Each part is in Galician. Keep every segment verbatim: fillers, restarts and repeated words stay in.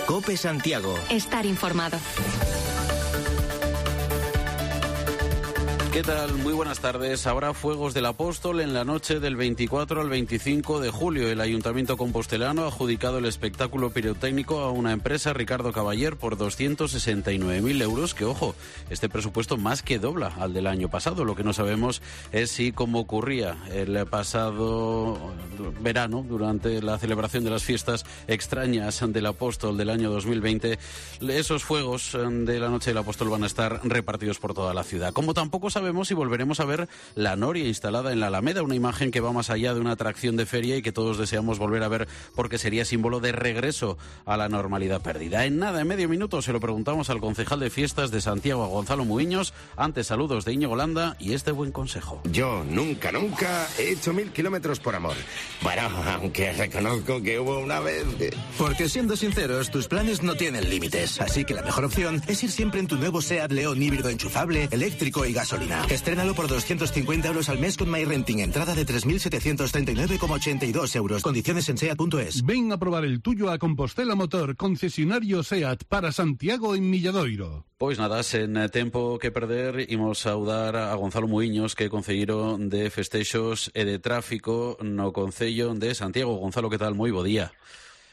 COPE Santiago. Estar informado. ¿Qué tal? Muy buenas tardes. Habrá fuegos del Apóstol en la noche del veinticuatro al veinticinco de julio. El Ayuntamiento compostelano ha adjudicado el espectáculo pirotécnico a una empresa, Ricardo Caballer, por doscientos sesenta y nueve mil euros, que, ojo, este presupuesto más que dobla al del año pasado. Lo que no sabemos es si, como ocurría el pasado verano, durante la celebración de las fiestas extrañas del Apóstol del año dos mil veinte, esos fuegos de la noche del Apóstol van a estar repartidos por toda la ciudad. Como tampoco sabemos Sabemos si volveremos a ver la noria instalada en la Alameda, una imagen que va más allá de una atracción de feria y que todos deseamos volver a ver porque sería símbolo de regreso a la normalidad perdida. En nada, en medio minuto, se lo preguntamos al concejal de fiestas de Santiago, a Gonzalo Muiños. Antes, saludos de Íñigo Landa y este buen consejo. Yo nunca, nunca he hecho mil kilómetros por amor. Bueno, aunque reconozco que hubo una vez que... Porque siendo sinceros, tus planes no tienen límites. Así que la mejor opción es ir siempre en tu nuevo SEAT León híbrido enchufable, eléctrico y gasolina. Estrénalo por doscientos cincuenta euros al mes con MyRenting. Entrada de tres mil setecientos treinta y nueve coma ochenta y dos euros. Condiciones en seat punto es. Ven a probar el tuyo a Compostela Motor, concesionario SEAT para Santiago en Milladoiro. Pois nada, sen tempo que perder, imos saudar a Gonzalo Muiños, que é concelleiro de Festexos e de Tráfico no Concello de Santiago. Gonzalo, que tal? Moi bo día.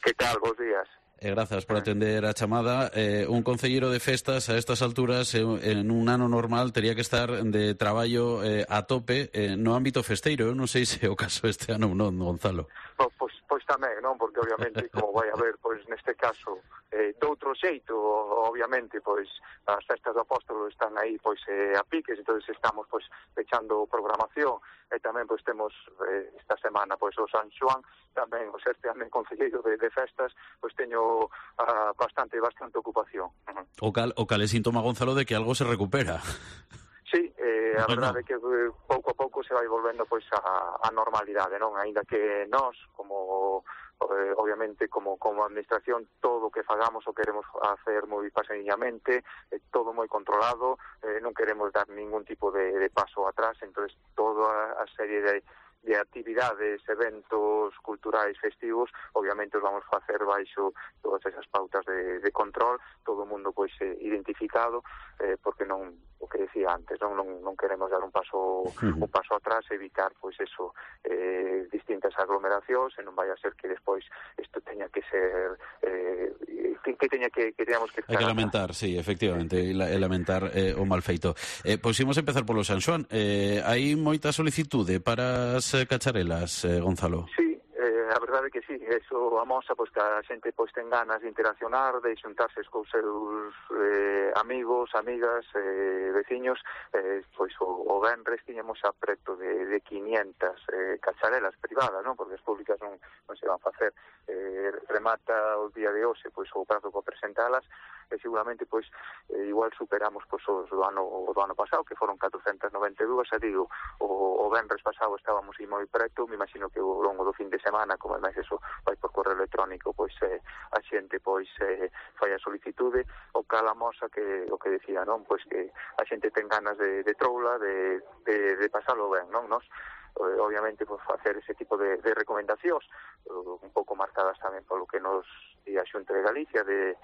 Que tal? Bos días. Eh, grazas por atender a chamada. Eh, un concelleiro de festas a estas alturas, eh, en un ano normal, tería que estar de traballo eh, a tope eh, no ámbito festeiro. Eu non sei se é o caso este ano ou non, Gonzalo. Pois, pois, pois tamén, non? Porque obviamente, como vai haber, pois neste caso, eh, doutro xeito, obviamente, pois as festas do Apóstolo están aí, pois eh, a piques, entonces estamos, pois, pechando programación, e tamén, pois, temos eh, esta semana, pois, o San Xoán, tamén, o ser tamén concelleiro de, de festas, pois teño uh, bastante, bastante ocupación. Uh-huh. O cal, o cal é síntoma, Gonzalo, de que algo se recupera. Sí, eh, a no, verdade no. é que eh, pouco a pouco se vai volvendo pois a, a normalidade, non? Aínda que nós, como eh, obviamente como como administración, todo o que fagamos o queremos hacer moi paseniñamente, eh, todo moi controlado, eh, non queremos dar ningún tipo de, de paso atrás, entonces toda a serie de de actividades, eventos culturais festivos, obviamente os vamos facer baixo todas esas pautas de, de control, todo o mundo pois eh, identificado, eh, porque non, o que decía antes, non, non, non queremos dar un paso un paso atrás, evitar pois eso, eh, distintas aglomeracións, e non vai a ser que despois isto teña que ser eh, que, que teña que, que teñamos que hai que lamentar, sí, efectivamente, e lamentar eh, o mal feito. Eh, pois imos empezar polo San Xoán. Eh, hai moita solicitude para as cacharelas, eh, Gonzalo? Sí, eh, a verdade é que sí, eso amosa pois, que a xente pois, ten ganas de interaccionar, de xuntarse cos seus eh, amigos, amigas, eh, veciños, eh, pois o, o venres tiñamos a preto de, de quinientas eh, cacharelas privadas, non? Porque as públicas non, non se van a facer. Eh, remata o día de hoxe pois, o prazo para presentalas, e seguramente pois eh, igual superamos pois os do ano o do ano pasado, que foron catrocentas noventa e dúas, e digo, o, o venres pasado estábamos aí moi preto, me imagino que ao longo do fin de semana, como é máis eso, vai por correo electrónico, pois eh, a xente pois eh, fai a solicitude, o cal amosa que o que decía, non? Pois que a xente ten ganas de, de troula, de, de, de pasalo ben, non? Nos obviamente pues, facer ese tipo de, de recomendacións, un pouco marcadas tamén polo que nos di a Xunta de Galicia, de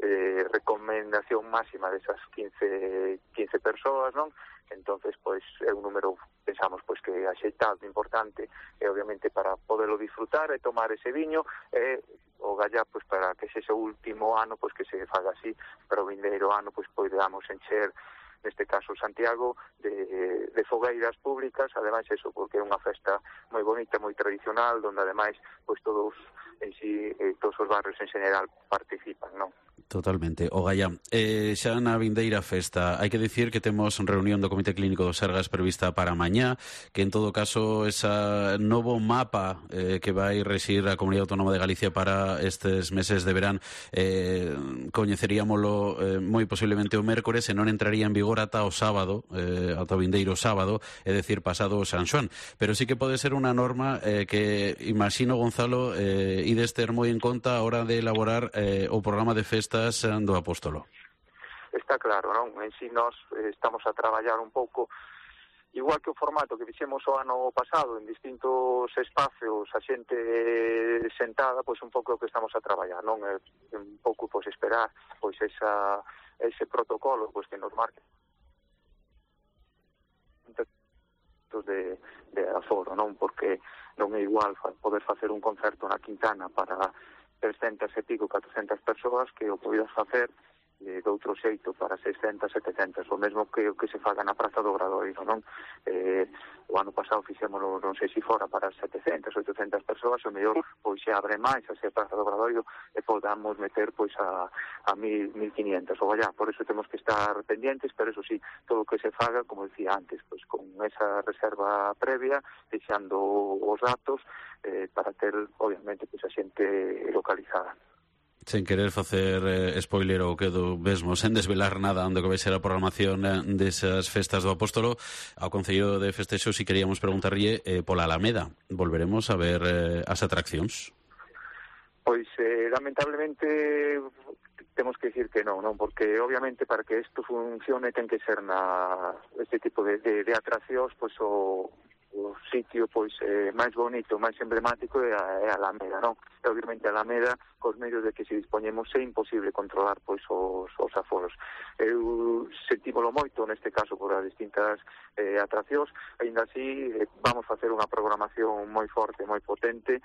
eh, recomendación máxima desas quince, quince persoas, non? Entonces, pois, é un número, pensamos, pois, que axeitado, importante, e obviamente para poderlo disfrutar e tomar ese viño, e o gallá, pois, para que ese o último ano, pois, que se faga así, para o vindeiro ano, pois, podamos encher, neste caso Santiago, de, de fogueiras públicas, ademais eso, porque é unha festa moi bonita, moi tradicional, onde ademais, pois, todos en si, eh, todos os barrios en general participan, non? Totalmente. O Gallá, eh, xa na vindeira festa, hai que dicir que temos reunión do Comité Clínico do Sergas prevista para mañá, que en todo caso esa novo mapa eh, que vai rexir a Comunidade Autónoma de Galicia para estes meses de verán, eh, coñeceríamolo eh, moi posiblemente o mércores, e non entraría en vigor ata o sábado, eh, ata o vindeiro sábado, é dicir, pasado o San Xoán. Pero sí que pode ser unha norma eh, que, imagino, Gonzalo, eh, ides ter moi en conta a hora de elaborar eh, o programa de festas do Apóstolo. Está claro, non? En si nós eh, estamos a traballar un pouco igual que o formato que fixemos o ano pasado en distintos espacios, a xente sentada, pois un pouco o que estamos a traballar, non? É un pouco pois esperar pois esa ese protocolo pois que nos marque de, de aforo, non? Porque non é igual poder facer un concerto na Quintana para trescentas e pico, catrocentas persoas que o poidas facer de outro xeito para seiscentas, setecentas, o mesmo que o que se faga na Praza do Obradoiro, non? Eh, o ano pasado fixémolo, non sei se fora para setecentas, oitocentas persoas, o mellor pois se abre máis a ser Praza do Obradoiro e podamos meter pois a, a mil, mil quinientas, ou allá, por eso temos que estar pendientes, pero eso sí, todo o que se faga, como decía antes, pois con esa reserva previa, deixando os datos eh, para ter, obviamente, pois a xente localizada. Sen querer facer eh, spoiler ou quedo mesmo, sen desvelar nada onde que vai ser a programación eh, desas festas do Apóstolo, ao Concello de Festexos si queríamos preguntarlle eh, pola Alameda. Volveremos a ver eh, as atraccións? Pois, eh, lamentablemente, temos que decir que non, non, porque obviamente para que isto funcione ten que ser na este tipo de, de, de atraccións, pois o o sitio pois eh, máis bonito, máis emblemático é a, é a Alameda, non? E obviamente a Alameda, cos medios de que se dispoñemos, é imposible controlar pois os, os aforos. Eu sentímolo moito neste caso por as distintas eh, atraccións, aínda así eh, vamos facer unha programación moi forte, moi potente,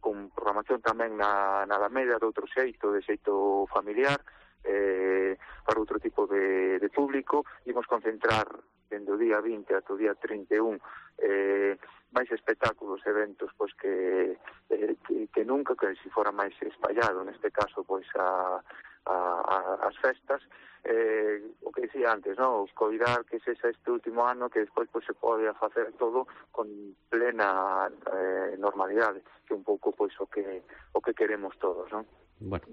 con programación tamén na, na Alameda de outro xeito, de xeito familiar, eh, para outro tipo de, de público. Imos concentrar dende o día vinte ata o día trinta e un eh, máis espectáculos, eventos pois que, eh, que, que nunca, que se fora máis espallado neste caso pois a, a, a as festas, eh, o que dicía antes, no? Coidar que sexa este último ano que despois pois se pode facer todo con plena eh, normalidade, que un pouco pois o que o que queremos todos, non? Bueno,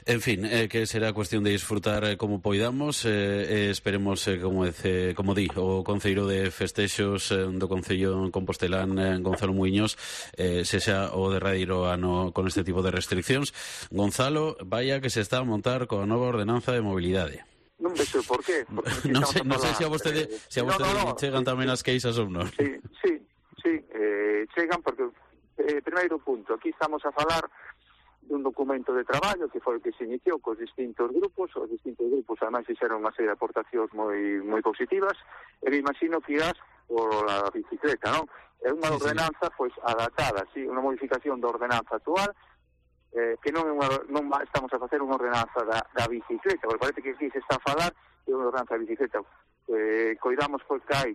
en fin, eh, que será cuestión de disfrutar eh, como poidamos, eh, eh, esperemos, eh, como dice, como di o Concelleiro de Festexos eh, do Concello Compostelán, eh, Gonzalo Muiños, eh, sexa o derradeiro ano con este tipo de restriccións. Gonzalo, vaya que se está a montar coa nova ordenanza de mobilidade. Non vexo por qué. non sei, non sei se a vostede, eh, se a vostede no, no, no, chegan tamén as queixas ou non. Sí, sí, sí, eh, chegan porque, eh, primeiro punto, aquí estamos a falar dun documento de traballo que foi o que se iniciou cos distintos grupos, os distintos grupos ademais fixeron unha serie de aportacións moi moi positivas, e me imagino que irás por a bicicleta, non? É unha ordenanza pois adaptada, sí, unha modificación da ordenanza actual, eh, que non é unha, non estamos a facer unha ordenanza da, da bicicleta, porque parece que aquí se está a falar de unha ordenanza da bicicleta. Eh, coidamos pois que hai,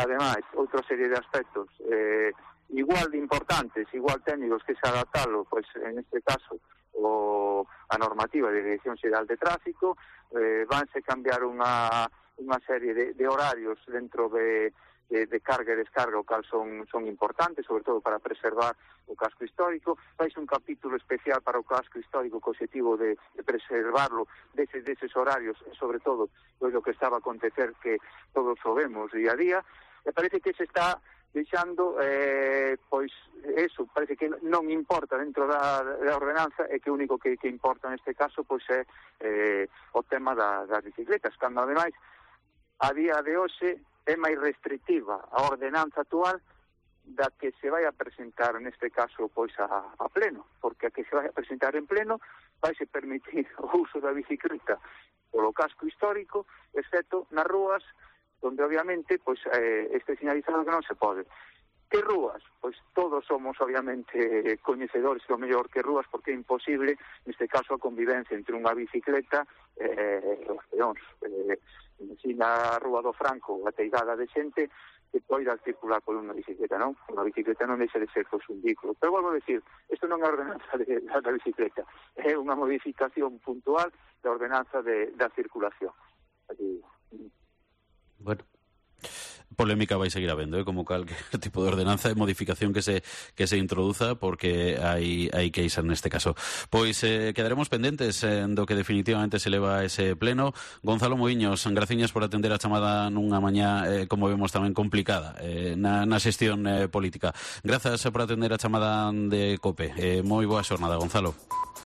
ademais, outra serie de aspectos eh, igual de importantes, igual técnicos, que se adaptalo, pois en este caso o, a normativa de Dirección Xeral de Tráfico, eh, vanse cambiar unha, unha serie de, de horarios dentro de, de, de carga e descarga, o cal son, son importantes, sobre todo para preservar o casco histórico. Vais un capítulo especial para o casco histórico co objetivo de, de preservarlo deses, deses horarios, e sobre todo pois, o que estaba a acontecer que todos o vemos día a día, e parece que se está deixando, eh, pois, eso, parece que non importa dentro da, da ordenanza, e que o único que, que importa neste caso, pois, é eh, o tema da, das bicicletas, cando, ademais, a día de hoxe é máis restrictiva a ordenanza actual da que se vai a presentar, neste caso, pois, a, a pleno, porque a que se vai a presentar en pleno vai se permitir o uso da bicicleta polo casco histórico, excepto nas rúas, donde obviamente pois eh, este señalizado que non se pode. Que rúas? Pois todos somos obviamente coñecedores do mellor que rúas, porque é imposible neste caso a convivencia entre unha bicicleta e eh, os peóns. Eh, Ensina a Rúa do Franco, a teigada de xente que poida circular por unha bicicleta, non? Unha bicicleta non deixa de ser pois, un vehículo. Pero volvo a decir, isto non é a ordenanza de, da bicicleta, é unha modificación puntual da ordenanza de, da circulación. Así, bueno, polémica vai seguir habendo, eh, como calquer tipo de ordenanza e modificación que se que se introduza, porque hai hai que isar neste caso. Pois eh, quedaremos pendentes eh, do que definitivamente se leva a ese pleno. Gonzalo Muiños, graciñas por atender a chamada nunha mañá, eh, como vemos, tamén complicada eh, na, na xestión eh, política. Grazas por atender a chamada de COPE. Eh, moi boa xornada, Gonzalo.